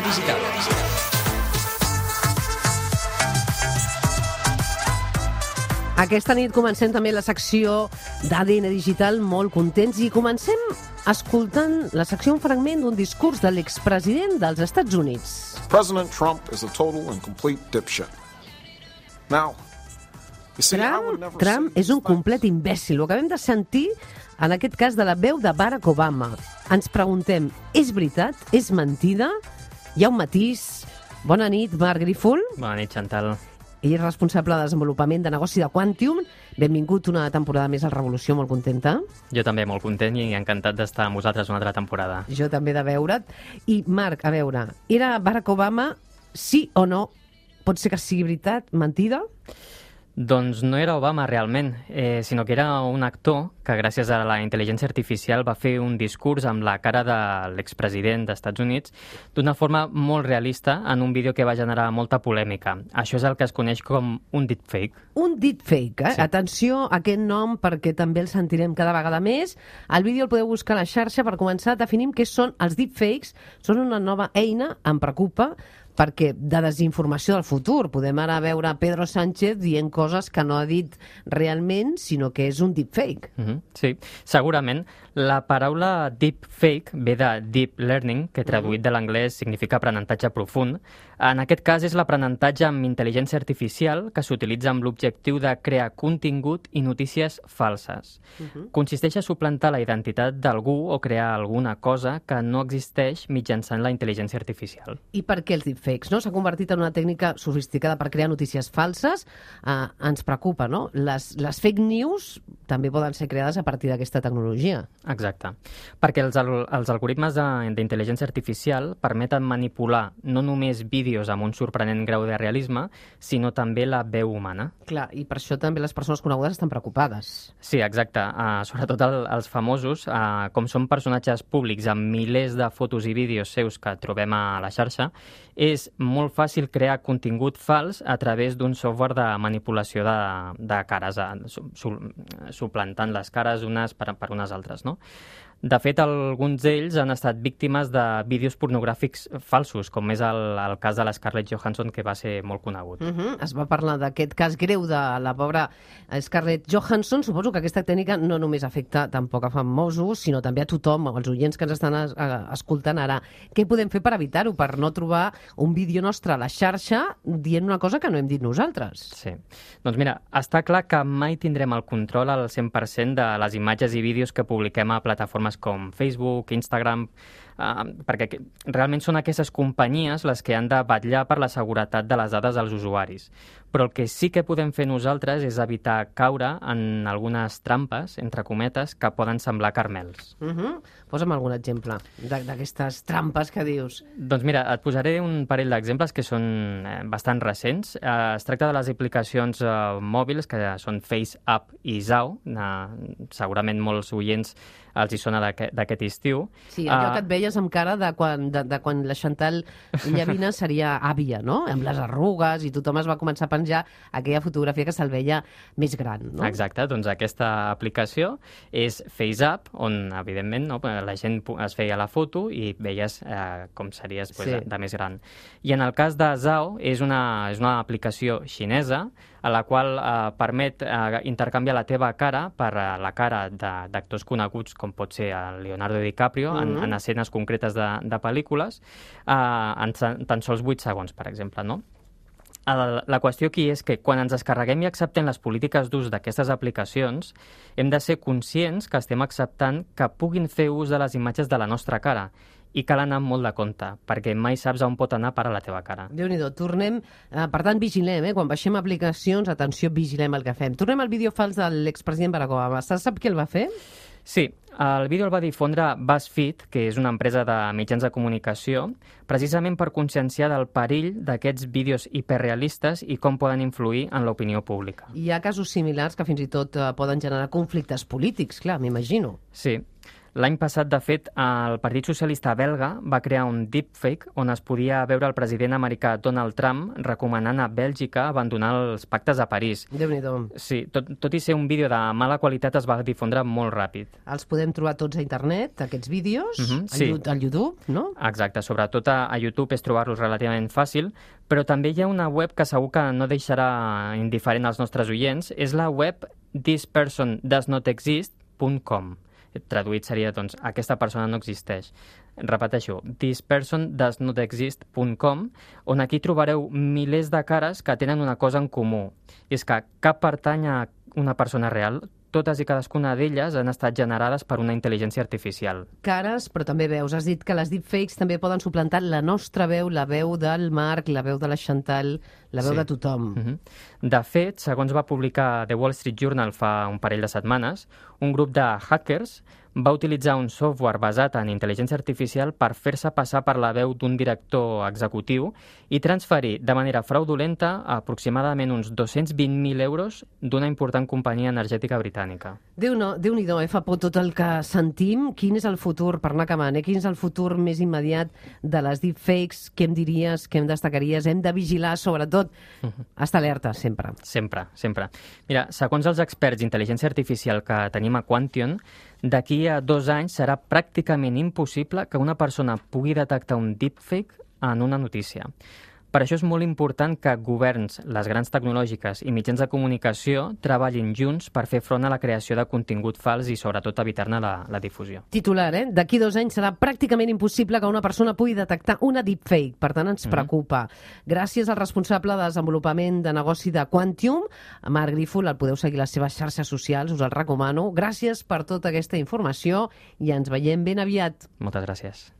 Digital. Aquesta nit comencem també la secció d'ADN Digital, molt contents, i comencem escoltant la secció, un fragment d'un discurs de l'expresident dels Estats Units. President Trump is a total and complete dipshit. Now, you see, I would never Trump say és un complet imbècil. Ho acabem de sentir, en aquest cas, de la veu de Barack Obama. Ens preguntem, és veritat? És mentida? Hi ha un matís? Bona nit, Marc Grífol. Bona nit, Chantal. Ell és responsable de desenvolupament de negoci de Quantium. Benvingut una temporada més al Revolució, molt contenta. Jo també molt content i encantat d'estar amb vosaltres una altra temporada. Jo també de veure't. I, Marc, a veure, era Barack Obama, sí o no? Pot ser que sigui veritat, mentida? Doncs no era Obama realment, sinó que era un actor que gràcies a la intel·ligència artificial va fer un discurs amb la cara de l'expresident dels Estats Units d'una forma molt realista en un vídeo que va generar molta polèmica. Això és el que es coneix com un deepfake. Un deepfake, eh? Sí. Atenció a aquest nom perquè també el sentirem cada vegada més. El vídeo el podeu buscar a la xarxa. Per començar, definim què són els deepfakes. Són una nova eina, em preocupa, perquè de desinformació del futur. Podem ara veure Pedro Sánchez dient coses que no ha dit realment, sinó que és un deepfake. Sí, segurament. La paraula deepfake ve de deep learning, que traduït de l'anglès significa aprenentatge profund. En aquest cas és l'aprenentatge amb intel·ligència artificial que s'utilitza amb l'objectiu de crear contingut i notícies falses. Consisteix a suplantar la identitat d'algú o crear alguna cosa que no existeix mitjançant la intel·ligència artificial. I per què els deepfakes? No? S'ha convertit en una tècnica sofisticada per crear notícies falses. Ens preocupa, no? Les fake news també poden ser creades a partir d'aquesta tecnologia. Exacte. Perquè els algoritmes d'intel·ligència artificial permeten manipular no només vídeos amb un sorprenent grau de realisme, sinó també la veu humana. Clar, i per això també les persones conegudes estan preocupades. Sí, exacte. Sobretot els famosos, com són personatges públics amb milers de fotos i vídeos seus que trobem a la xarxa, és molt fàcil crear contingut fals a través d'un software de manipulació de cares, suplantant les cares unes per unes altres, no? De fet, alguns d'ells han estat víctimes de vídeos pornogràfics falsos, com és el cas de la Scarlett Johansson, que va ser molt conegut. Es va parlar d'aquest cas greu de la pobra Scarlett Johansson. Suposo que aquesta tècnica no només afecta tampoc a famosos, sinó també a tothom, als oients que ens estan escoltant ara. Què podem fer per evitar-ho, per no trobar un vídeo nostre a la xarxa dient una cosa que no hem dit nosaltres? Sí. Doncs mira, està clar que mai tindrem el control al 100% de les imatges i vídeos que publiquem a plataformes com Facebook, Instagram, perquè realment són aquestes companyies les que han de vetllar per la seguretat de les dades dels usuaris. Però el que sí que podem fer nosaltres és evitar caure en algunes trampes, entre cometes, que poden semblar carmels. Posa'm algun exemple d'aquestes trampes que dius. Doncs mira, et posaré un parell d'exemples que són bastant recents. Es tracta de les aplicacions mòbils, que són FaceApp i Zao. Segurament molts oients els hi sona d'aquest estiu. Sí, allò que et veies amb cara de quan la Chantal Llavina seria àvia, no? Amb les arrugues, i tothom es va començar a penjar aquella fotografia que se'l veia més gran, no? Exacte, doncs aquesta aplicació és FaceApp, on, evidentment, no, la gent es feia la foto i veies com series de més gran. I en el cas de Zao, és una aplicació xinesa a la qual permet intercanviar la teva cara per la cara d'actors coneguts, com pot ser Leonardo DiCaprio, en escenes concretes de pel·lícules, en tan sols 8 segons, per exemple, no? La qüestió aquí és que quan ens descarreguem i acceptem les polítiques d'ús d'aquestes aplicacions, hem de ser conscients que estem acceptant que puguin fer ús de les imatges de la nostra cara, i cal anar amb molt de compte, perquè mai saps on pot anar a parar la teva cara. Déu-n'hi-do, tornem... Per tant, vigilem, quan baixem aplicacions, atenció, vigilem el que fem. Tornem al vídeo fals de l'expresident Barack Obama. Sap qui el va fer? Sí, el vídeo el va difondre BuzzFeed, que és una empresa de mitjans de comunicació, precisament per conscienciar del perill d'aquests vídeos hiperrealistes i com poden influir en l'opinió pública. Hi ha casos similars que fins i tot poden generar conflictes polítics, clar, m'imagino. Sí. L'any passat, de fet, el Partit Socialista belga va crear un deepfake on es podia veure el president americà Donald Trump recomanant a Bèlgica abandonar els pactes a París. Déu-n'hi-do. Sí, tot i ser un vídeo de mala qualitat es va difondre molt ràpid. Els podem trobar tots a internet, aquests vídeos, sí. al YouTube, no? Exacte, sobretot a YouTube és trobar-los relativament fàcil, però també hi ha una web que segur que no deixarà indiferent als nostres oients, és la web thispersondoesnotexist.com. Traduït seria, doncs, aquesta persona no existeix. Repeteixo, thispersondoesnotexist.com, on aquí trobareu milers de cares que tenen una cosa en comú. És que cap pertany a una persona real, totes i cadascuna d'elles han estat generades per una intel·ligència artificial. Cares, però també veus. Has dit que les deepfakes també poden suplantar la nostra veu, la veu del Marc, la veu de la Chantal, la veu de tothom. De fet, segons va publicar The Wall Street Journal fa un parell de setmanes, un grup de hackers va utilitzar un software basat en intel·ligència artificial per fer-se passar per la veu d'un director executiu i transferir de manera fraudulenta aproximadament uns 220.000 euros d'una important companyia energètica britànica. Déu-n'hi-do, fa por tot el que sentim. Quin és el futur, per anar acabant, quin és el futur més immediat de les deepfakes? Què em diries, què em destacaries? Hem de vigilar, sobretot, estar alerta, sempre. Sempre. Mira, segons els experts d'intel·ligència artificial que tenim a Quantion, d'aquí a 2 anys serà pràcticament impossible que una persona pugui detectar un deepfake en una notícia. Per això és molt important que governs, les grans tecnològiques i mitjans de comunicació treballin junts per fer front a la creació de contingut fals i, sobretot, evitar-ne la difusió. Titular, D'aquí 2 anys serà pràcticament impossible que una persona pugui detectar una deepfake. Per tant, ens preocupa. Gràcies al responsable de desenvolupament de negoci de Quantium, Marc Grífol. El podeu seguir a les seves xarxes socials, us el recomano. Gràcies per tota aquesta informació i ens veiem ben aviat. Moltes gràcies.